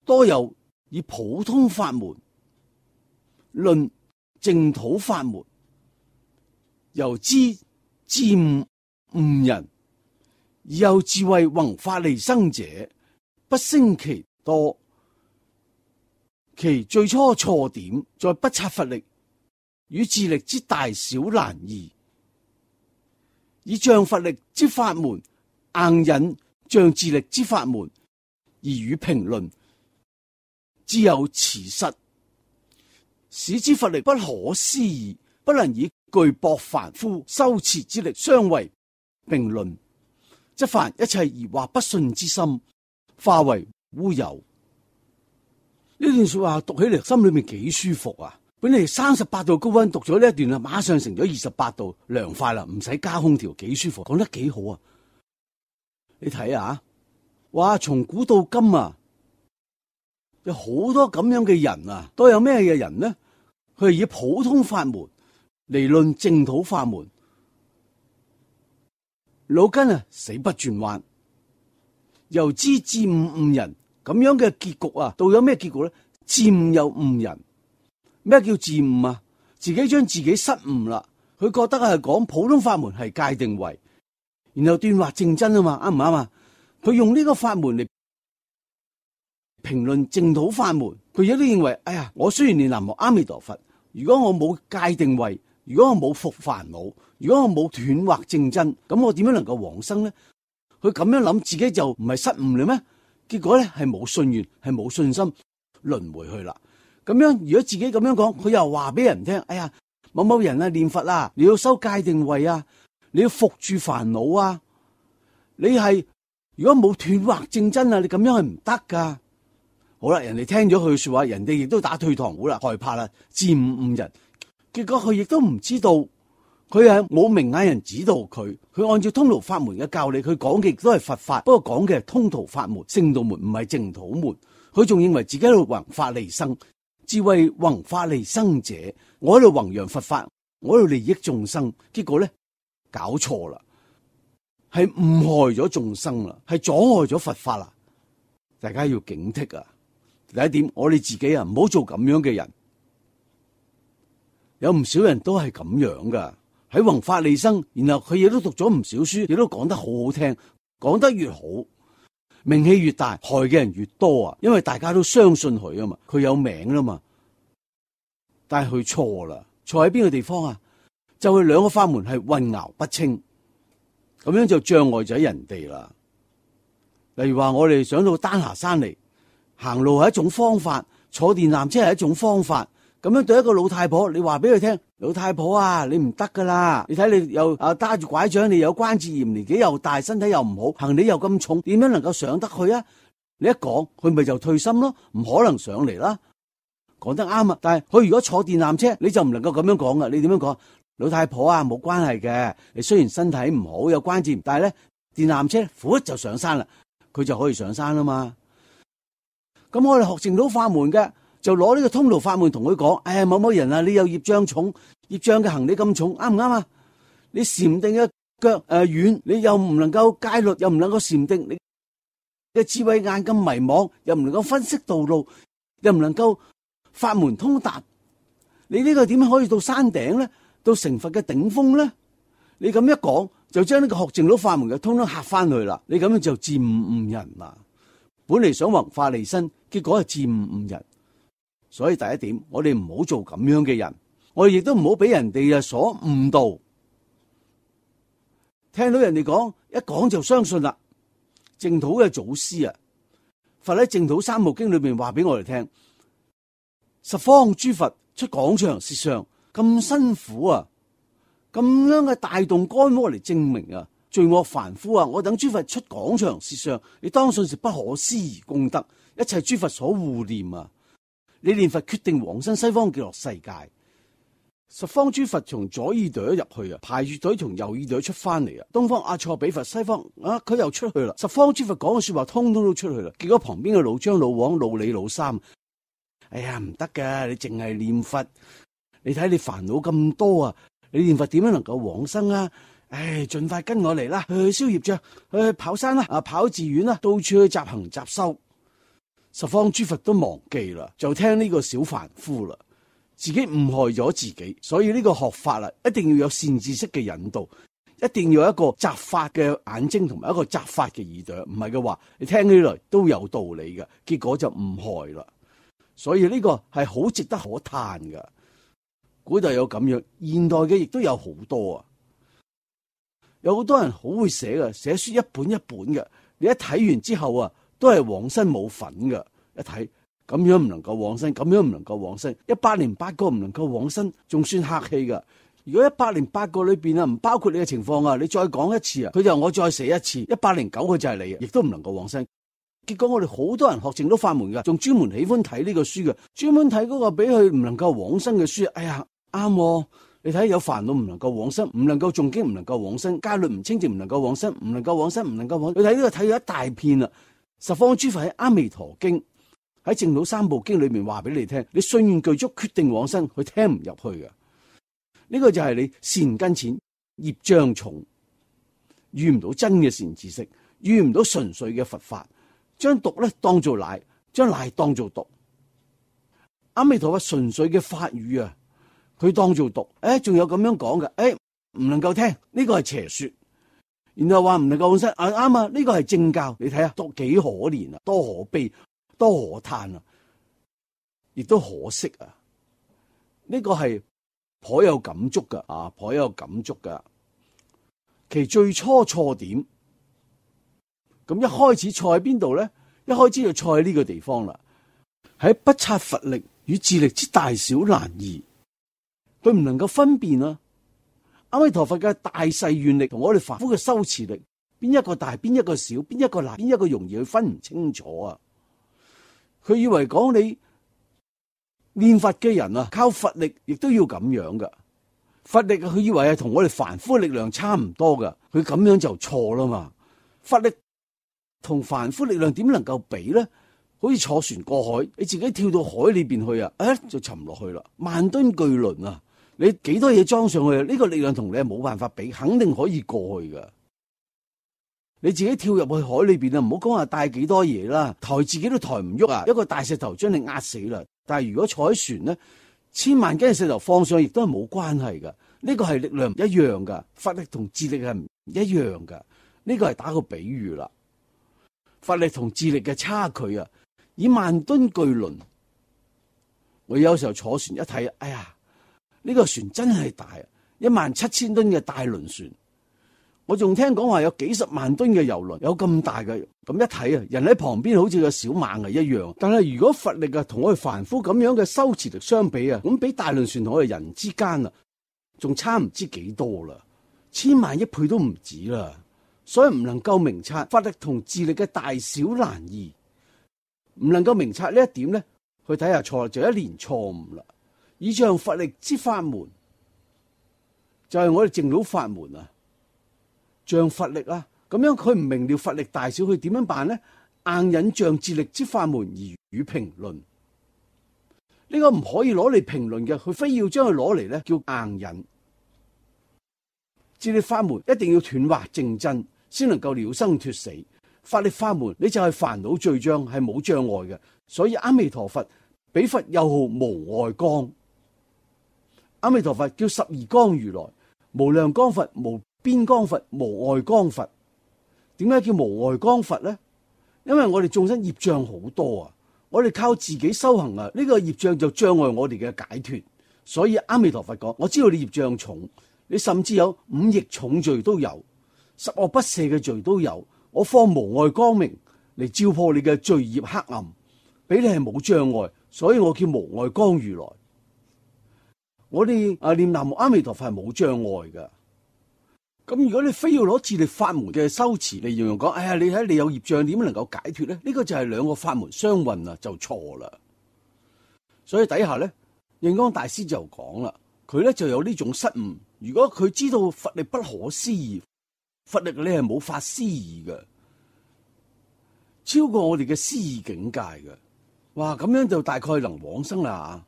多有以普通法門論淨土法門，由之漸誤人，而有智慧宏法利生者，不勝其多。其最初錯點在不察佛力與自力之大小難異。以仗佛力之法門硬引仗自力之法門而予評論，自有此失，使之佛力不可思議，不能以具薄凡夫修持之力相為並論，則凡一切疑惑不信之心化為烏有。呢段說話讀起嚟心裏面幾舒服啊！本嚟三十八度高溫，讀咗呢一段啊，馬上成咗二十八度，涼快啦，唔使加空調，幾舒服，講得幾好啊！你睇下，哇，從古到今啊，有好多咁樣嘅人啊，都有咩嘅人呢？佢係以普通法門嚟論淨土法門，腦筋啊死不轉彎，由之漸誤人，咁樣嘅結局啊，到有咩結局咧？漸又誤人。咩叫自誤啊？自己將自己失誤啦，佢覺得係講普通法門係界定為，然後斷惑正真啊嘛，啱唔啱啊？佢用呢個法門嚟評論淨土法門，佢亦都認為，哎呀，我雖然念南無阿彌陀佛，如果我冇界定為，如果我冇伏煩惱，如果我冇斷惑正真，咁我點樣能夠往生呢？佢咁樣諗，自己就唔係失誤啦咩？結果咧係冇信願，係冇信心，輪迴去啦。咁樣，如果自己咁樣講，佢又話俾人聽，哎呀，某某人啊念佛啊，你要修界定位啊，你要伏住煩惱啊，你係如果冇斷惑正真啊，你咁樣係唔得噶。好啦，人哋聽咗佢嘅說話，人哋亦都打退堂鼓啦，害怕啦，漸誤誤人。結果佢亦都唔知道，佢係冇明眼人指導佢，佢按照通途法門嘅教理，佢講嘅亦都係佛法，不過講嘅係通途法門、聖道門，唔係淨土門。佢仲認為自己喺度弘法利生，智慧弘法利生者，我喺度弘揚佛法，我喺度利益眾生。結果咧搞錯啦。係誤害咗眾生啦，係阻礙咗佛法啦，大家要警惕啊！第一點，我哋自己啊，唔好做咁樣嘅人。有唔少人都係咁樣噶，喺弘法利生，然後佢亦都讀咗唔少書，亦都講得好好聽，講得越好，名氣越大，害嘅人越多啊！因為大家都相信佢啊嘛，佢有名啦嘛。但係佢錯啦，錯喺邊個地方啊？就係兩個法門係混淆不清。咁樣就障礙咗人哋啦。例如話我哋上到丹霞山嚟，行路係一種方法，坐電纜車係一種方法。咁樣對一個老太婆，你話俾佢聽，老太婆啊，你唔得噶啦！你睇你又啊揸住拐杖，你有關節炎，年紀又大，身體又唔好，行李又咁重，點樣能夠上得去啊？你一講，佢咪就退心咯，唔可能上嚟啦。講得啱啊！但係佢如果坐電纜車，你就唔能夠咁樣講噶。你點樣講？老太婆啊，冇關係嘅。你雖然身體唔好，有關節，但係咧電纜車扶就上山啦，佢就可以上山啦嘛。咁我哋學淨土法門嘅，就攞呢個通途法門同佢講：哎呀，某某人啊，你有業障重，業障嘅行李咁重，啱唔啱啊？你禪定嘅腳誒軟，你又唔能夠戒律，又唔能夠禪定，你嘅智慧眼咁迷惘，又唔能夠分析道路，又唔能夠法門通達，你呢個點樣可以到山頂咧？到成佛嘅頂峰咧？你咁一講，就將呢個學淨土法門嘅通通嚇翻去啦。你咁樣就漸誤誤人啦。本嚟想弘法利生，結果係漸誤誤人。所以第一點，我哋唔好做咁樣嘅人，我哋亦都唔好俾人哋啊所誤導。聽到人哋講，一講就相信啦。淨土嘅祖師啊，佛喺淨土三部經裏邊話俾我哋聽，十方諸佛出廣長舌相。咁辛苦啊，咁樣嘅大動干戈嚟證明啊，罪惡凡夫啊，我等諸佛出廣長舌相，你當信是不可思議功德，一切諸佛所護念啊！你念佛決定往生西方極樂世界，十方諸佛從左耳朵入去啊，排住隊從右耳朵出翻嚟啊，東方阿錯比佛，西方啊佢又出去啦，十方諸佛講嘅說話通通都出去啦，結果旁邊嘅老張、老王、老李、老三，哎呀唔得噶，你淨係念佛。你睇你煩惱咁多啊！你念佛點樣能夠往生啊？唉，盡快跟我嚟啦，去消業障，去跑山啦，啊跑寺院啦，到處去集行集修。十方諸佛都忘記啦，就聽呢個小凡夫啦，自己誤害咗自己。所以呢個學法啦，一定要有善知識嘅引導，一定要有一個擇法嘅眼睛同埋一個擇法嘅耳朵。唔係嘅話，你聽起來都有道理嘅，結果就誤害啦。所以呢個係好值得可嘆嘅。古代有咁樣，現代嘅亦都有好多啊！有好多人好會寫嘅，寫書一本一本嘅，你一睇完之後啊，都係往生冇份嘅。一睇咁樣唔能夠往生，咁樣唔能夠往生，一百零八個唔能夠往生，仲算客氣噶。如果一百零八個裏邊啊，唔包括你嘅情況啊，你再講一次啊，佢就我再寫一次，一百零九個就係你啊，亦都唔能夠往生。結果我哋好多人學淨土法門噶，仲專門喜歡睇呢個書嘅，專門睇嗰個俾佢唔能夠往生嘅書。哎呀！啱、哦，你睇有煩惱唔能夠往生，唔能夠誦經唔能夠往生，戒律唔清淨唔能夠往生，唔能夠往生，唔能夠往生。你睇呢個睇咗一大片啦。十方諸佛喺阿彌陀經喺淨土三部經裏面話俾你聽，你信願具足，決定往生，佢聽唔入去嘅。呢、這個就係你善根淺，業障重，遇唔到真嘅善知識，遇唔到純粹嘅佛法，將毒咧當做奶，將奶當做毒。阿彌陀佛純粹嘅法語啊！佢當做毒，誒，仲有咁樣講嘅，誒，唔能夠聽，呢個係邪說，然後話唔能夠往生，啊啱啊，呢個係正教，你睇下，多幾可憐啊，多可悲，多可嘆啊，亦都可惜啊，呢個係頗有感觸噶，啊，頗有感觸噶，其最初錯點，咁一開始錯喺邊度咧？一開始就錯喺呢個地方啦，喺不察佛力與智力之大小難異。佢唔能夠分辨啊！阿彌陀佛嘅大誓願力同我哋凡夫嘅修持力邊一個大，邊一個小，邊一個難，邊一個容易，佢分唔清楚啊！佢以為講你練佛嘅人啊，靠佛力亦都要咁樣噶。佛力佢以為係同我哋凡夫嘅力量差唔多噶，佢咁樣就錯啦嘛。佛力同凡夫力量點能夠比咧？好似坐船過海，你自己跳到海裏邊去啊，誒就沉落去啦。萬噸巨輪啊，你幾多嘢裝上去啊？呢個力量同你係冇辦法比，肯定可以過去噶。你自己跳入去海裏邊啊，唔好講話帶幾多嘢啦，抬自己都抬唔喐啊！一個大石頭將你壓死啦。但係如果坐喺船咧，千萬斤嘅石頭放上亦都係冇關係噶。呢個係力量唔一樣噶，佛力同智力係唔一樣噶。呢個係打個比喻啦，佛力同智力嘅差距啊，以萬噸巨輪。我有時候坐船一睇，哎呀，呢個船真係大啊，一萬七千噸嘅大輪船。我仲聽講話有幾十萬噸嘅油輪，有咁大嘅，咁一睇啊，人喺旁邊好似個小螞蟻一樣。但係如果佛力啊同我哋凡夫咁樣嘅修持力相比啊，咁比大輪船同我哋人之間啊，仲差唔知幾多啦，千萬億倍都唔止啦。所以唔能夠明察佛力同智力嘅大小難異，唔能夠明察呢一點咧，去睇下錯就一連錯誤啦。以仗佛力之法門，就係、是、我哋淨土法門啊。仗佛力啊，咁樣佢唔明了佛力大小，佢點樣辦呢？硬引仗智力之法門而予評論，呢、這個唔可以攞嚟評論嘅，佢非要將佢攞嚟咧叫硬引。智力法門一定要斷惑正真，先能夠了生脫死。法力法門你就係煩惱罪障係冇障礙嘅，所以阿彌陀佛俾佛又號無礙光。阿彌陀佛叫十二光如來，無量光佛、無邊光佛、無礙光佛。點解叫無礙光佛咧？因為我哋眾生業障好多啊，我哋靠自己修行啊，呢、這個業障就障礙我哋嘅解脫。所以阿彌陀佛講，我知道你業障重，你甚至有五逆重罪都有，十惡不赦嘅罪都有，我放無礙光明嚟照破你嘅罪業黑暗，俾你係冇障礙，所以我叫無礙光如來。我哋啊念南無阿彌陀佛係冇障礙噶。咁如果你非要攞智力法門嘅修持嚟形容講，哎呀，你睇你有業障點能夠解脫咧？呢、這個就係兩個法門相混啊，就錯啦。所以底下咧，印光大師就講啦，佢咧就有呢種失誤。如果佢知道佛力不可思議，佛力你係冇法思議嘅，超過我哋嘅思議境界嘅，哇！咁樣就大概能往生啦。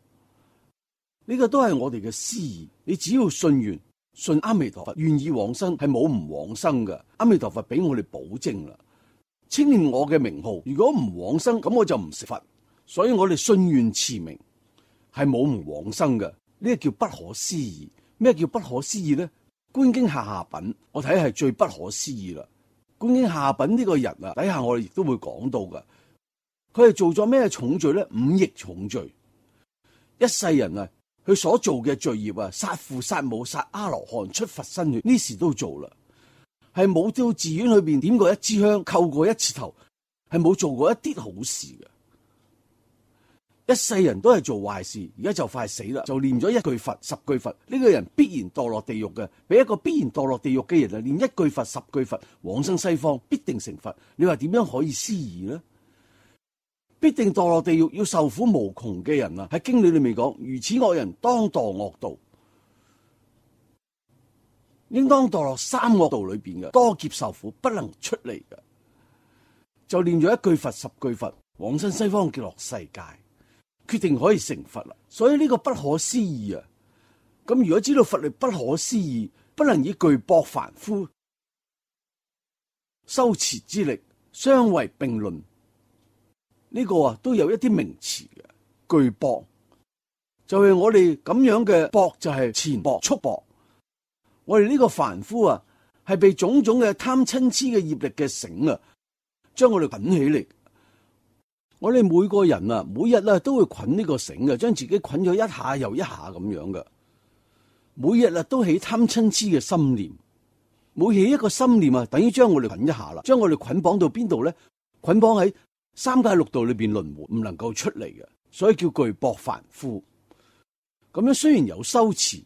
呢、這個都係我哋嘅思議，你只要信願。信阿彌陀佛願意往生係冇唔往生嘅，阿彌陀佛俾我哋保證啦。稱念我嘅名號，如果唔往生，咁我就唔食佛。所以我哋信願持名係冇唔往生嘅，呢、這個叫不可思議。咩叫不可思議咧？觀經下下品，我睇係最不可思議啦。觀經下下品呢個人啊，底下我哋亦都會講到噶。佢係做咗咩重罪咧？五逆重罪，一世人啊。佢所做嘅罪業啊，殺父殺母殺阿羅漢出佛身血，呢時都做啦，係冇到寺院裏邊點過一支香，叩過一次頭，係冇做過一啲好事嘅。一世人都係做壞事，而家就快死啦，就念咗一句佛十句佛，呢、這個人必然墮落地獄嘅。俾一個必然墮落地獄嘅人啊，念一句佛十句佛，往生西方必定成佛。你話點樣可以思議呢？必定墮落地獄要受苦無窮嘅人啊，喺經理裏面講，如此惡人當墮惡道，應當墮落三惡道裏邊嘅，多劫受苦不能出嚟嘅。就念咗一句佛十句佛，往生西方極樂世界，決定可以成佛啦。所以呢個不可思議啊！咁如果知道佛力不可思議，不能以巨薄凡夫修持之力相為並論。呢個啊都有一啲名詞嘅，巨薄就係我哋咁樣嘅薄，就係前薄束薄。我哋呢個凡夫啊，係被種種嘅貪嗔癡嘅業力嘅繩啊，將我哋捆起嚟。我哋每個人啊，每日啊都會捆呢個繩嘅，將自己捆咗一下又一下咁樣嘅。每日啊都起貪嗔癡嘅心念，每起一個心念啊，等於將我哋捆一下啦，將我哋捆綁到邊度咧？捆綁喺三界六道裏邊輪迴，唔能夠出嚟嘅，所以叫巨薄凡夫。咁樣雖然有修持，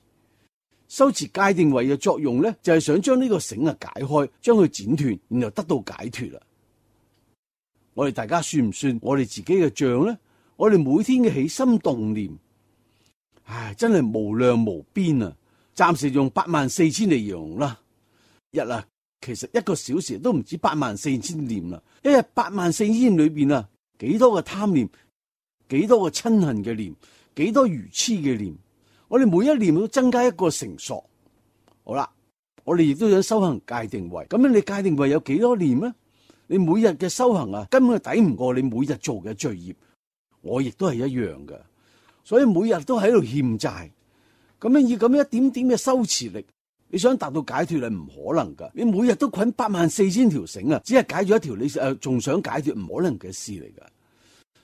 修持戒定慧嘅作用咧，就係想將呢個繩啊解開，將佢剪斷，然後得到解脫啦。我哋大家算唔算我哋自己嘅賬咧？我哋每天嘅起心動念，唉，真係無量無邊啊！暫時用八萬四千嚟形容啦。日啊，其實一個小時都唔止八萬四千念啦。一日八萬四千念裏邊啊，幾多個貪念，幾多個親恨嘅念，幾多愚痴嘅念。我哋每一念都增加一個成數。好啦，我哋亦都想修行戒定慧。咁樣你戒定慧有幾多念咧？你每日嘅修行啊，根本係抵唔過你每日做嘅罪業。我亦都係一樣嘅，所以每日都喺度欠債。咁樣以咁樣一點點嘅修持力，你想達到解脫係唔可能噶。你每日都捆八萬四千條繩啊，只係解咗一條，你誒仲想解脫，唔可能嘅事嚟噶。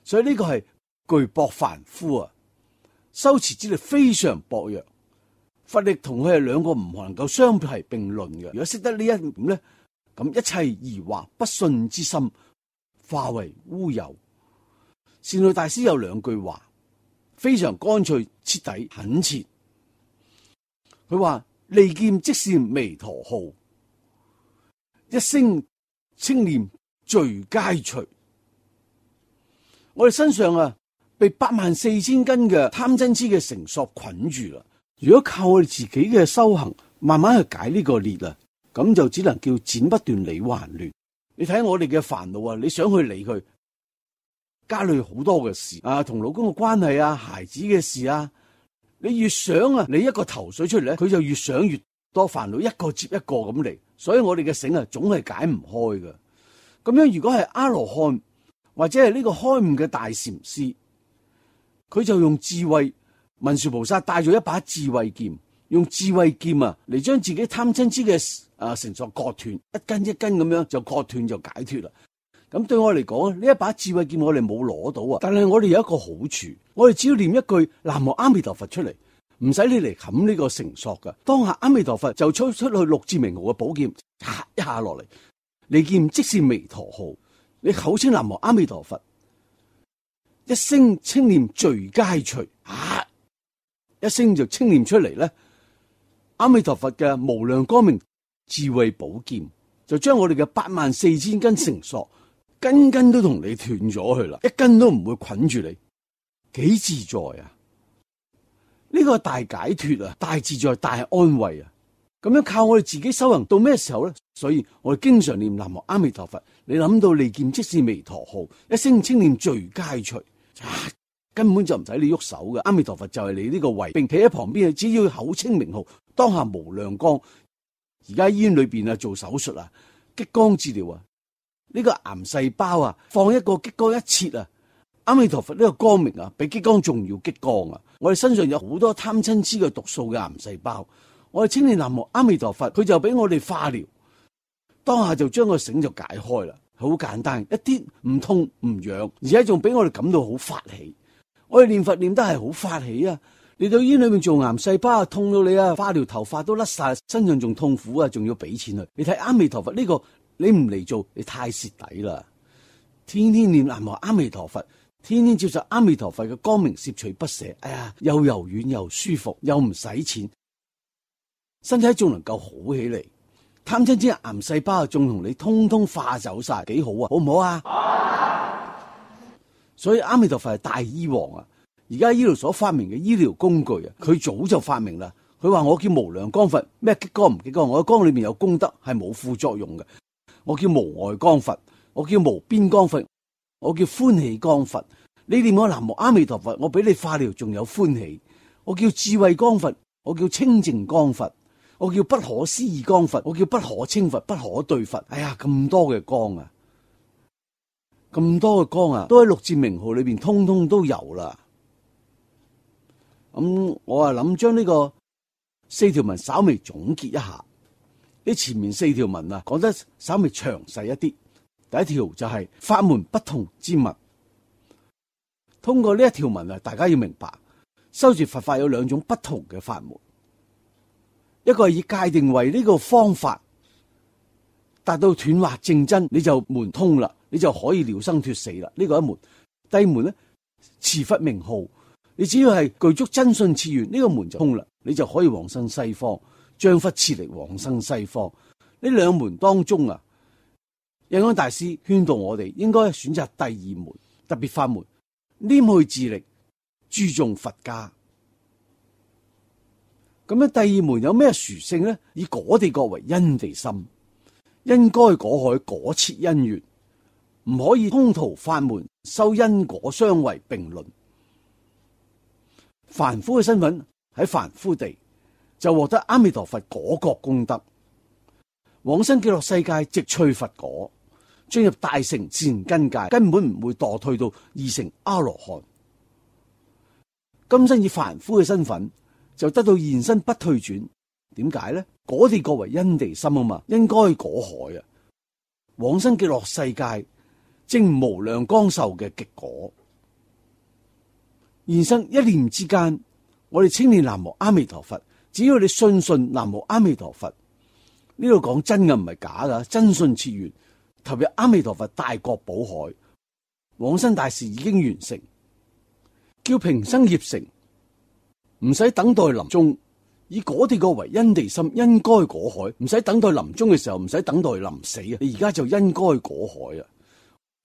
所以呢個係巨薄凡夫啊，修持之力非常薄弱。佛力同佢係兩個唔能夠相提並論嘅。如果識得呢一點咧，咁一切疑惑不信之心化為烏有。善導大師有兩句話非常乾脆徹底懇切，佢話利劍即是彌陀號，一聲稱念罪皆除。我哋身上啊被八萬四千斤嘅貪嗔癡嘅繩索捆住啦。如果靠我哋自己嘅修行慢慢去解呢個結啊，咁就只能叫剪不斷理還亂。你睇我哋嘅煩惱啊，你想去理佢，家裏好多嘅事啊，同老公嘅關係啊，孩子嘅事啊，你越想啊，你一個頭緒出嚟咧，佢就越想越多煩惱，一個接一個咁嚟。所以我哋嘅繩啊，總係解唔開嘅。咁樣如果係阿羅漢或者係呢個開悟嘅大禪師，佢就用智慧，文殊菩薩帶咗一把智慧劍，用智慧劍啊嚟將自己貪嗔癡嘅啊繩索割斷，一根一根咁樣就割斷就解脫啦。咁對我嚟講，呢一把智慧劍我哋冇攞到啊，但係我哋有一個好處，我哋只要念一句南無阿彌陀佛出嚟，唔使你嚟冚呢個繩索噶。當下阿彌陀佛就出出去六字明號嘅寶劍，嚓一下落嚟，利劍即是彌陀號。你口稱南無阿彌陀佛，一聲稱念罪皆除，啊，一聲就稱念出嚟咧。阿彌陀佛嘅無量光明智慧寶劍就將我哋嘅八萬四千根繩索，根根都同你斷咗去啦，一根都唔會捆住你，幾自在啊！呢個大解脫啊，大自在，大安慰啊！咁樣靠我哋自己修行到咩時候咧？所以我哋經常念南無阿彌陀佛，你諗到利劍即是彌陀號，一聲稱念罪皆除，啊，根本就唔使你喐手嘅。阿彌陀佛就係你呢個衛兵，企喺旁邊，只要口稱名號，當下無量光。而家醫院裏邊啊做手術啊，激光治療啊。呢個癌細胞啊，放一個激光一切啊，阿彌陀佛呢個光明啊，比激光仲要激光啊！我哋身上有好多貪嗔癡嘅毒素嘅癌細胞，我哋稱念南無阿彌陀佛，佢就俾我哋化療，當下就將個繩就解開啦，好簡單，一啲唔痛唔癢，而且仲俾我哋感到好發喜。我哋念佛念得係好發喜啊！嚟到醫院裏面做癌細胞啊，痛到你啊，化療頭髮都甩晒，身上仲痛苦啊，仲要俾錢去。你睇阿彌陀佛呢個。你唔嚟做，你太蝕底啦！天天念南無阿彌陀佛，天天接受阿彌陀佛嘅光明攝取不捨，哎呀，又柔軟又舒服，又唔使錢，身體仲能夠好起嚟。貪嗔癡癌細胞仲同你通通化走晒，幾好啊？好唔好啊？啊，所以阿彌陀佛係大醫王啊！而家醫療所發明嘅醫療工具啊，佢早就發明啦。佢話我叫無量光佛，咩激光唔激光？我嘅光裏面有功德，係冇副作用嘅。我叫無礙光佛，我叫無邊光佛，我叫歡喜光佛。你念我南無阿彌陀佛，我俾你化療仲有歡喜。我叫智慧光佛，我叫清淨光佛，我叫不可思議光佛，我叫不可稱佛，不可對佛。哎呀，咁多嘅光啊，咁多嘅光啊，都喺六字名號裏邊通通都有啦。咁、嗯、我啊諗將呢個四條文稍微總結一下。呢前面四條文啊，講得稍微詳細一啲。第一條就係法門不同之物。通過呢一條文啊，大家要明白，修持佛法有兩種不同嘅法門。一個係以戒定慧呢個方法達到斷惑正真，你就門通啦，你就可以了生脫死啦。呢、這個一門。第二門咧，持佛名號，你只要係具足真信次願，呢、這個門就通啦。你就可以往生西方，將忽次力往生西方。呢兩門當中啊，印光大師勸導我哋應該選擇第二門特別法門，黏去自力，注重佛家。咁樣第二門有咩殊勝呢？以果地國為因地心，因該果海果切因緣，唔可以通途法門修因果相違並論。凡夫嘅身份喺凡夫地就獲得阿彌陀佛果覺功德，往生極樂世界直趣佛果，進入大乘自然根界，根本唔會墮退到二乘阿羅漢。今生以凡夫嘅身份就得到現身不退轉，點解呢？果地國為因地心啊嘛，因該果海啊，往生極樂世界正無量光壽嘅極果。現生一念之間，我哋稱念南無阿彌陀佛，只要你信信南無阿彌陀佛，呢度講真嘅唔係假噶，真信切願投入阿彌陀佛大國寶海，往生大事已經完成，叫平生業成，唔使等待臨終，以果地國為因地心，因該果海，唔使等待臨終嘅時候，唔使等待臨死啊！你而家就因該果海啊！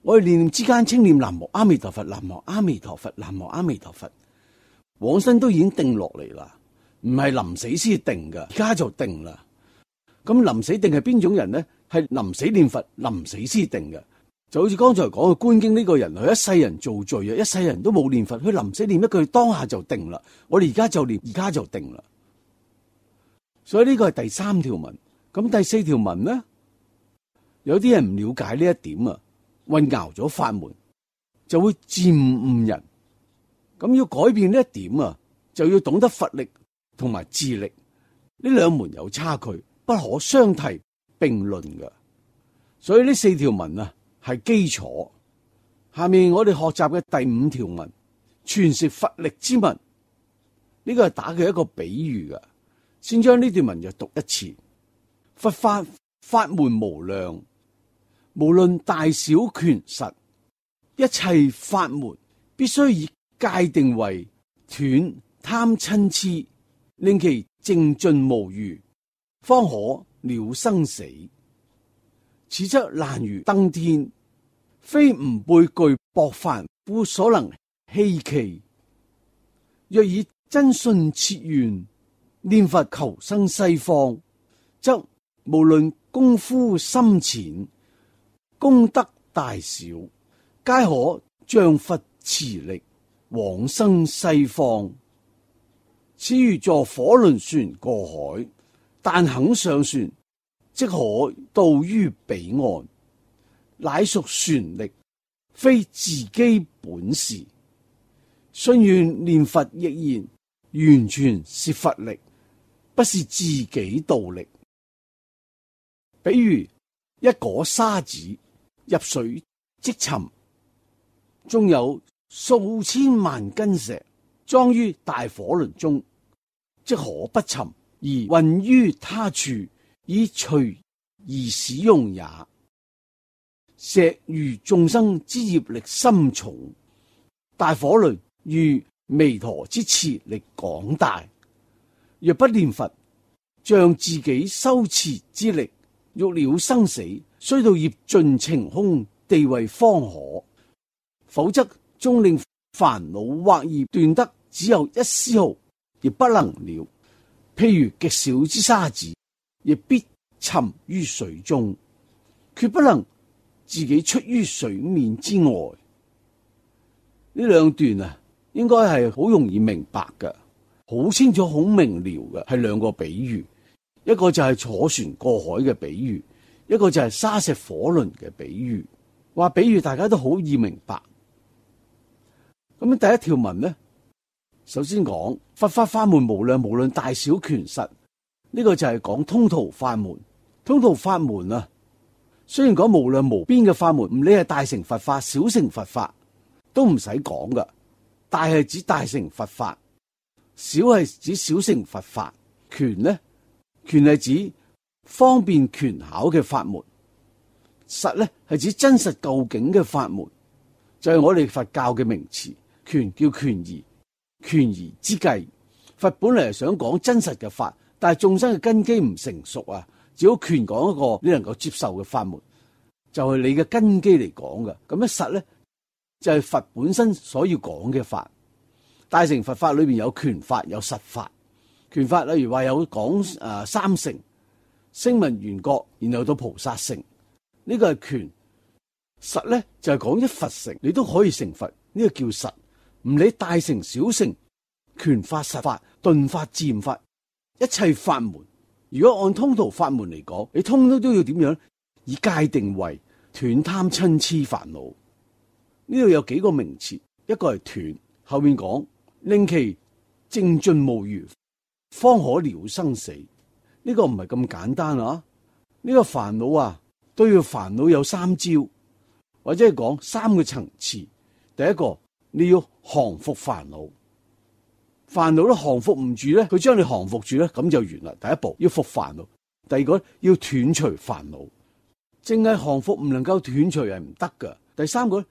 我哋念念之間稱念南無阿彌陀佛，南無阿彌陀佛，南無阿彌陀佛，往生都已經定落嚟啦，唔係臨死先定噶，而家就定啦。咁臨死定係邊種人呢？係臨死念佛，臨死先定嘅。就好似剛才講嘅觀經呢個人，佢一世人做罪啊，一世人都冇念佛，佢臨死念一句，當下就定啦。我哋而家就念，而家就定啦。所以呢個係第三條文。咁第四條文呢？有啲人唔了解呢一點啊，混淆咗法門，就會漸誤人。咁要改變呢一點啊，就要懂得佛力同埋智力呢兩門有差距，不可相提並論嘅。所以呢四條文啊係基礎。下面我哋學習嘅第五條文，傳説佛力之文，呢個係打嘅一個比喻嘅。先將呢段文就讀一次。佛法法門無量，無論大小權實，一切法門必須以界定為斷貪嗔癡，令其淨盡無餘，方可了生死。此則難如登天，非吾輩具薄凡夫所能希冀。若以真信切願，念佛求生西方，則無論功夫深淺，功德大小，皆可仗佛慈力往生西方。此如坐火輪船過海，但肯上船，即可到於彼岸，乃屬船力，非自己本事。信願念佛亦然，完全是佛力，不是自己道力。比如一顆沙子入水即沉，縱有數千萬斤石裝於大火輪中，即可不沉，而運於他處，以隨而使用也。石如眾生之業力深重，大火輪如彌陀之慈力廣大。若不念佛，仗自己修持之力，欲了生死，須到業盡晴空地位方可，否則終令煩惱惑業斷得只有一絲毫，亦不能了。譬如極小之沙子，亦必沉於水中，決不能自己出於水面之外。呢兩段啊，應該係好容易明白嘅，好清楚、好明了嘅，係兩個比喻。一個就係坐船過海嘅比喻，一個就係沙石火輪嘅比喻。話比喻大家都好易明白。咁第一條文呢，首先講佛法法門無量，無論大小權實，呢個就係講通途法門。通途法門啊，雖然講無量無邊嘅法門，唔理係大乘佛法、小乘佛法都唔使講噶。大係指大乘佛法，小係指小乘佛法。權呢？權係指方便權巧嘅法門，實咧係指真實究竟嘅法門，就係、是、我哋佛教嘅名詞。權叫權宜，權宜之計，佛本嚟係想講真實嘅法，但係眾生嘅根基唔成熟啊，只好權講一個你能夠接受嘅法門，就係你嘅根基嚟講嘅。咁一實咧就係佛本身所要講嘅法。大乘佛法裏邊有權法有實法。權法例如話有講誒三乘，聲聞緣覺，然後到菩薩乘，呢個係權。實咧就係講一佛乘，你都可以成佛，呢個叫實。唔理大乘小乘，權法實法頓法自然法，一切法門，如果按通途法門嚟講，你通通都要點樣？以戒定慧，斷貪嗔癡煩惱。呢度有幾個名詞，一個係斷，後面講令其正盡無餘，方可了生死。呢個唔係咁簡單啊！呢個煩惱啊，都要煩惱有三招，或者係講三個層次。第一個，你要降伏煩惱，煩惱都降服唔住咧，佢將你降服住咧，咁就完啦。第一步要伏煩惱，第二個要斷除煩惱，淨係降服唔能夠斷除係唔得噶。第三個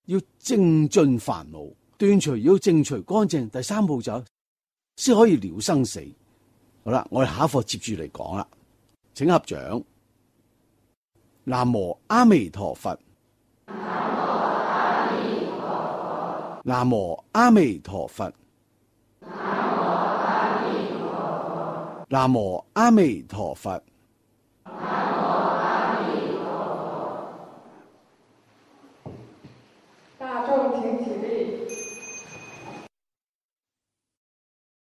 要正盡煩惱，斷除要正除乾淨，第三步就先可以了生死。好啦，我哋下一課接住嚟講啦，請合掌。南無阿彌陀佛。南無阿彌陀佛。南無阿彌陀佛。